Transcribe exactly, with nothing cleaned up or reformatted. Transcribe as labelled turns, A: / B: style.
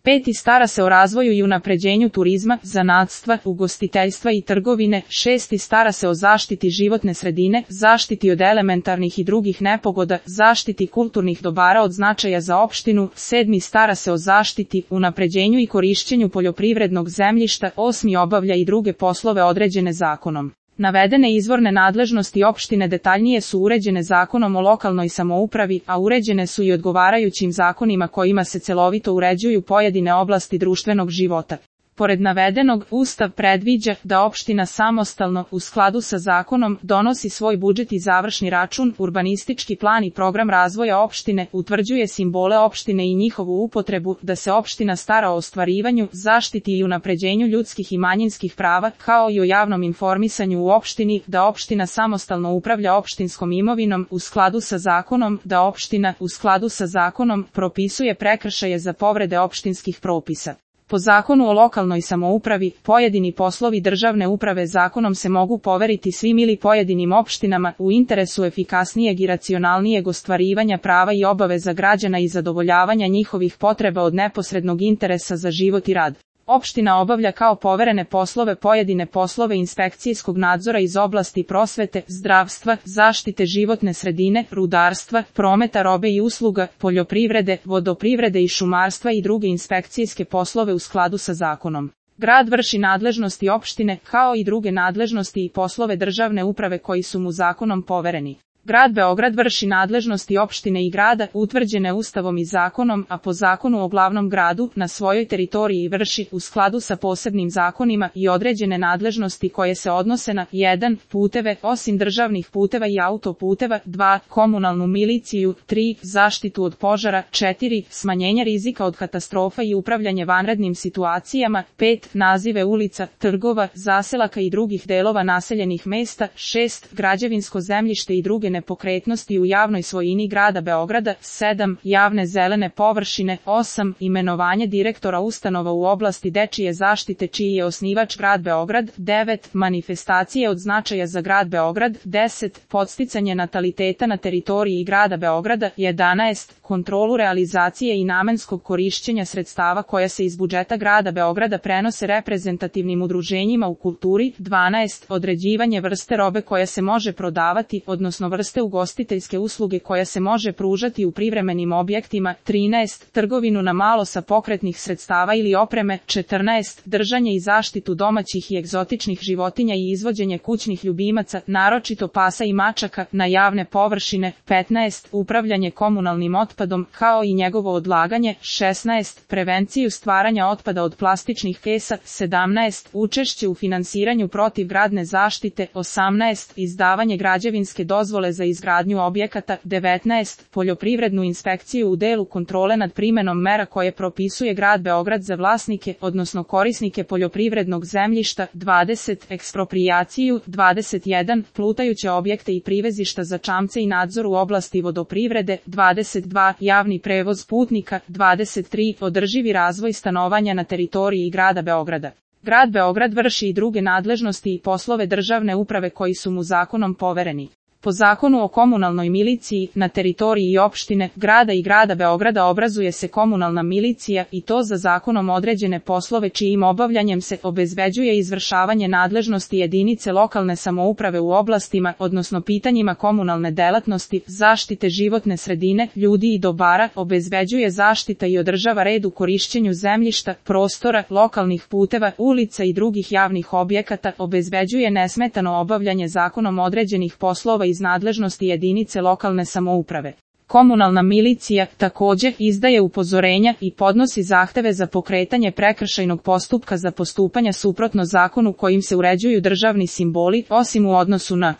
A: Peti. Stara se o razvoju i unapređenju turizma, zanatstva, ugostiteljstva i trgovine. Šesti. Stara se o zaštiti životne sredine, zaštiti od elementarnih i drugih nepogoda, zaštiti kulturnih dobara od značaja za opštinu. Sedmi. Stara se o zaštiti, unapređenju i korišćenju poljoprivrednog zemljišta. Osmi. Obavlja i druge poslove određene zakonom. Navedene izvorne nadležnosti opštine detaljnije su uređene Zakonom o lokalnoj samoupravi, a uređene su i odgovarajućim zakonima kojima se celovito uređuju pojedine oblasti društvenog života. Pored navedenog, Ustav predviđa da opština samostalno, u skladu sa zakonom, donosi svoj budžet i završni račun, urbanistički plan i program razvoja opštine, utvrđuje simbole opštine i njihovu upotrebu, da se opština stara o ostvarivanju, zaštiti i unapređenju ljudskih i manjinskih prava, kao i o javnom informisanju u opštini, da opština samostalno upravlja opštinskom imovinom, u skladu sa zakonom, da opština, u skladu sa zakonom, propisuje prekršaje za povrede opštinskih propisa. Po Zakonu o lokalnoj samoupravi, pojedini poslovi državne uprave zakonom se mogu poveriti svim ili pojedinim opštinama u interesu efikasnijeg i racionalnijeg ostvarivanja prava i obaveza građana i zadovoljavanja njihovih potreba od neposrednog interesa za život i rad. Opština obavlja kao poverene poslove pojedine poslove inspekcijskog nadzora iz oblasti prosvete, zdravstva, zaštite životne sredine, rudarstva, prometa robe i usluga, poljoprivrede, vodoprivrede i šumarstva i druge inspekcijske poslove u skladu sa zakonom. Grad vrši nadležnosti opštine, kao i druge nadležnosti i poslove državne uprave koji su mu zakonom povereni. Grad Beograd vrši nadležnosti opštine i grada, utvrđene Ustavom i zakonom, a po Zakonu o glavnom gradu, na svojoj teritoriji vrši, u skladu sa posebnim zakonima, i određene nadležnosti koje se odnose na jedan. Puteve, osim državnih puteva i autoputeva, dva. Komunalnu miliciju, tri. Zaštitu od požara, četiri. Smanjenje rizika od katastrofa i upravljanje vanrednim situacijama, pet. Nazive ulica, trgova, zaselaka i drugih delova naseljenih mesta, šest. Građevinsko zemljište i druge nepokretnosti u javnoj svojini grada Beograda, sedam. Javne zelene površine, osam. Imenovanje direktora ustanova u oblasti dečije zaštite čiji je osnivač grad Beograd, devet. Manifestacije od značaja za grad Beograd, deset. Podsticanje nataliteta na teritoriji grada Beograda, jedanaest. Kontrolu realizacije i namenskog korišćenja sredstava koja se iz budžeta grada Beograda prenose reprezentativnim udruženjima u kulturi, dvanaest. Određivanje vrste robe koja se može prodavati, odnosno vrste ugostiteljske usluge koja se može pružati u privremenim objektima, trinaest. Trgovinu na malo sa pokretnih sredstava ili opreme, četrnaest. Držanje i zaštitu domaćih i egzotičnih životinja i izvođenje kućnih ljubimaca, naročito pasa i mačaka, na javne površine, petnaest. Upravljanje komunalnim otpadom, kao i njegovo odlaganje, šesnaest. Prevenciju stvaranja otpada od plastičnih kesa, sedamnaest. Učešće u finansiranju protivgradne zaštite, osamnaest. Izdavanje građevinske dozvole za izgradnju objekata, devetnaest. Poljoprivrednu inspekciju u delu kontrole nad primenom mera koje propisuje grad Beograd za vlasnike, odnosno korisnike poljoprivrednog zemljišta, dvadeset. Eksproprijaciju, dvadeset jedan. Plutajuće objekte i privezišta za čamce i nadzor u oblasti vodoprivrede, dvadeset dva. Javni prevoz putnika, dvadeset tri. Održivi razvoj stanovanja na teritoriji grada Beograda. Grad Beograd vrši i druge nadležnosti i poslove državne uprave koji su mu zakonom povereni. Po Zakonu o komunalnoj miliciji, na teritoriji opštine, grada i grada Beograda obrazuje se komunalna milicija i to za zakonom određene poslove čijim obavljanjem se obezbeđuje izvršavanje nadležnosti jedinice lokalne samouprave u oblastima, odnosno pitanjima komunalne delatnosti, zaštite životne sredine, ljudi i dobara, obezbeđuje zaštita i održava red u korišćenju zemljišta, prostora, lokalnih puteva, ulica i drugih javnih objekata, obezbeđuje nesmetano obavljanje zakonom određenih poslova iz nadležnosti jedinice lokalne samouprave. Komunalna milicija, također, izdaje upozorenja i podnosi zahteve za pokretanje prekršajnog postupka za postupanja suprotno zakonu kojim se uređuju državni simboli, osim u odnosu na